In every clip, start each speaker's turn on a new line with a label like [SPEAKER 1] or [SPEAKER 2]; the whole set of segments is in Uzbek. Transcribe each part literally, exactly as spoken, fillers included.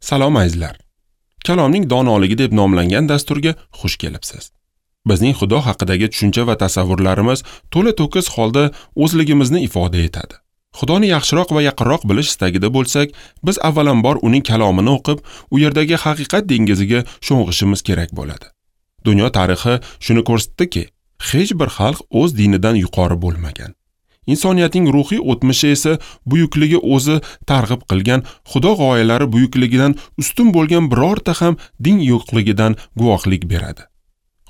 [SPEAKER 1] Salom azizlar. Kalomning donoligi deb nomlangan dasturga xush kelibsiz. Bizning Xudo haqidagi tushuncha va tasavvurlarimiz to'la to'kis holda o'zligimizni ifoda etadi. Xudoni yaxshiroq va yaqinroq bilish istagida bo'lsak, biz avvalambor uning kalomini o'qib, u yerdagi haqiqat dengiziga sho'ng'ishimiz kerak bo'ladi. Dunyo tarixi shuni ko'rsatdiki, hech bir xalq o'z dinidan yuqori bo'lmagan. Insoniyatning ruhiy o'tmishi esa buyukligi o'zi targ'ib qilgan Xudo g'oyalari buyukligidan ustun bo'lgan birorta ham din yo'qligidan guvohlik beradi.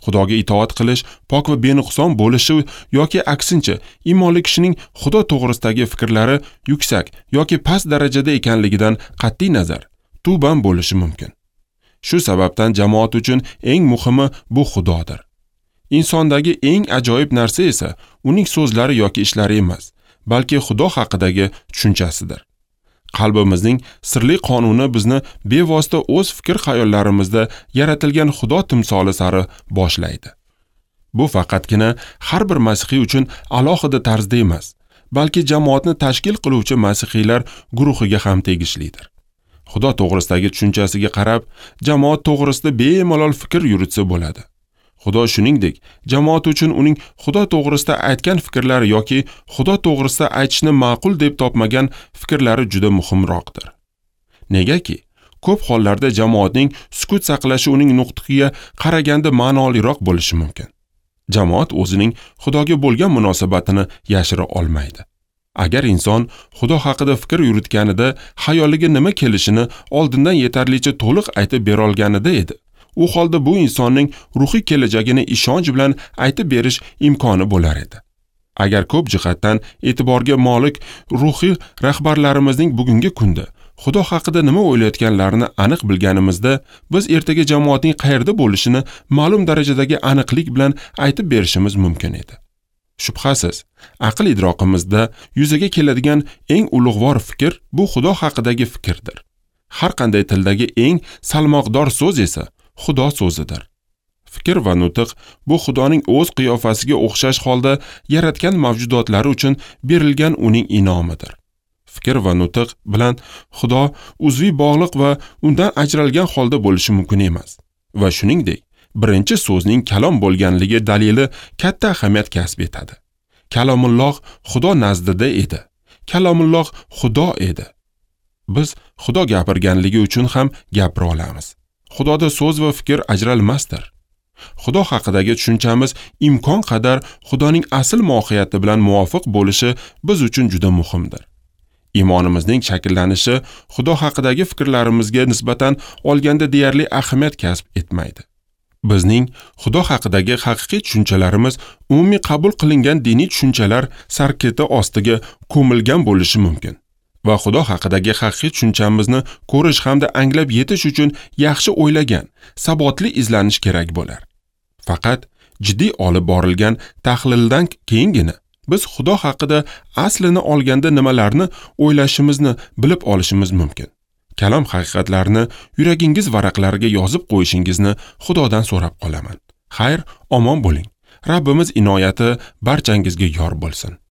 [SPEAKER 1] Xudoga itoat qilish pok va benuqson bo'lishi yoki aksincha iymonli kishining Xudo to'g'risidagi fikrlari yuksak yoki past darajada ekanligidan qat'iy nazar tuban bo'lishi mumkin. Shu sababdan jamoat uchun eng muhimi bu Xudodir. Insondagi eng ajoyib narsa esa uning so'zlari yoki ishlari emas, balki Xudo haqidagi tushunchasidir. Qalbimizning sirli qonuni bizni bevosita o'z fikr-xayollarimizda yaratilgan Xudo timsoli sari boshlaydi. Bu faqatgina har bir masihiy uchun alohida tarzda emas, balki jamoatni tashkil qiluvchi masihiylar guruhiga ham tegishlidir. Xudo to'g'risidagi tushunchasiga qarab, jamoat to'g'risida bemalol fikr yuritsa bo'ladi. Xudo shuningdek, jamoat uchun uning Xudo to'g'risida aytgan fikrlari yoki Xudo to'g'risida aytishni ma'qul deb topmagan fikrlari juda muhimroqdir. Negaki, ko'p hollarda jamoatning sukut saqlashi uning nutqiga qaraganda ma'noliroq bo'lishi mumkin. Jamoat o'zining Xudoga bo'lgan munosabatini yashira olmaydi. Agar inson Xudo haqida fikr yuritganida xayoliga nima kelishini oldindan yetarlicha to'liq aytib bera olganida edi, u holda bu insonning ruhiy kelajagini ishonch bilan aytib berish imkoni bo'lar edi. Agar ko'p jihatdan e'tiborga molik ruhiy rahbarlarimizning bugungi kunda Xudo haqida nima o'ylayotganlarini aniq bilganimizda, biz ertaga jamoatning qayerda bo'lishini ma'lum darajadagi aniqlik bilan aytib berishimiz mumkin edi. Shubhasiz, aql idroqimizda yuzaga keladigan eng ulug'vor fikr bu Xudo haqidagi fikrdir. Har qanday tildagi eng salmoqdor so'z esa Xudo so'zidir. Fikr va nutq bu Xudoning o'z qiyofasiga o'xshash holda yaratgan mavjudotlari uchun berilgan uning in'omidir. Fikr va nutq bilan Xudo uzviy bog'liq va undan ajralgan holda bo'lishi mumkin emas. Va shuningdek, birinchi so'zning kalom bo'lganligi dalili katta ahamiyat kasb etadi. Kalomulloh Xudo nazdida edi. Kalomulloh Xudo edi. Biz Xudo gapirganligi uchun ham gapira olamiz. Xudoda so'z va fikr ajralmasdir. Xudo haqidagi tushunchamiz imkon qadar Xudoning asl mohiyati bilan muvofiq bo'lishi biz uchun juda muhimdir. Iymonimizning shakllanishi Xudo haqidagi fikrlarimizga nisbatan olganda deyarli ahamiyat kasb etmaydi. Bizning Xudo haqidagi haqiqiy tushunchalarimiz umumiy qabul qilingan diniy tushunchalar sarketi ostiga ko'milgan bo'lishi mumkin. Va Xudo haqidagi haqiqiy tushunchamizni ko'rish hamda anglab yetish uchun yaxshi o'ylagan, sabotli izlanish kerak bo'lar. Faqat jiddiy olib borilgan tahlildan keyingina biz Xudo haqida aslini olganda nimalarni o'ylashimizni bilib olishimiz mumkin. Kalom haqiqatlarini yuragingiz varaqlariga yozib qo'yishingizni Xudodan so'rab qolaman. Xayr, omon bo'ling. Rabbimiz inoyati barchangizga yor bo'lsin.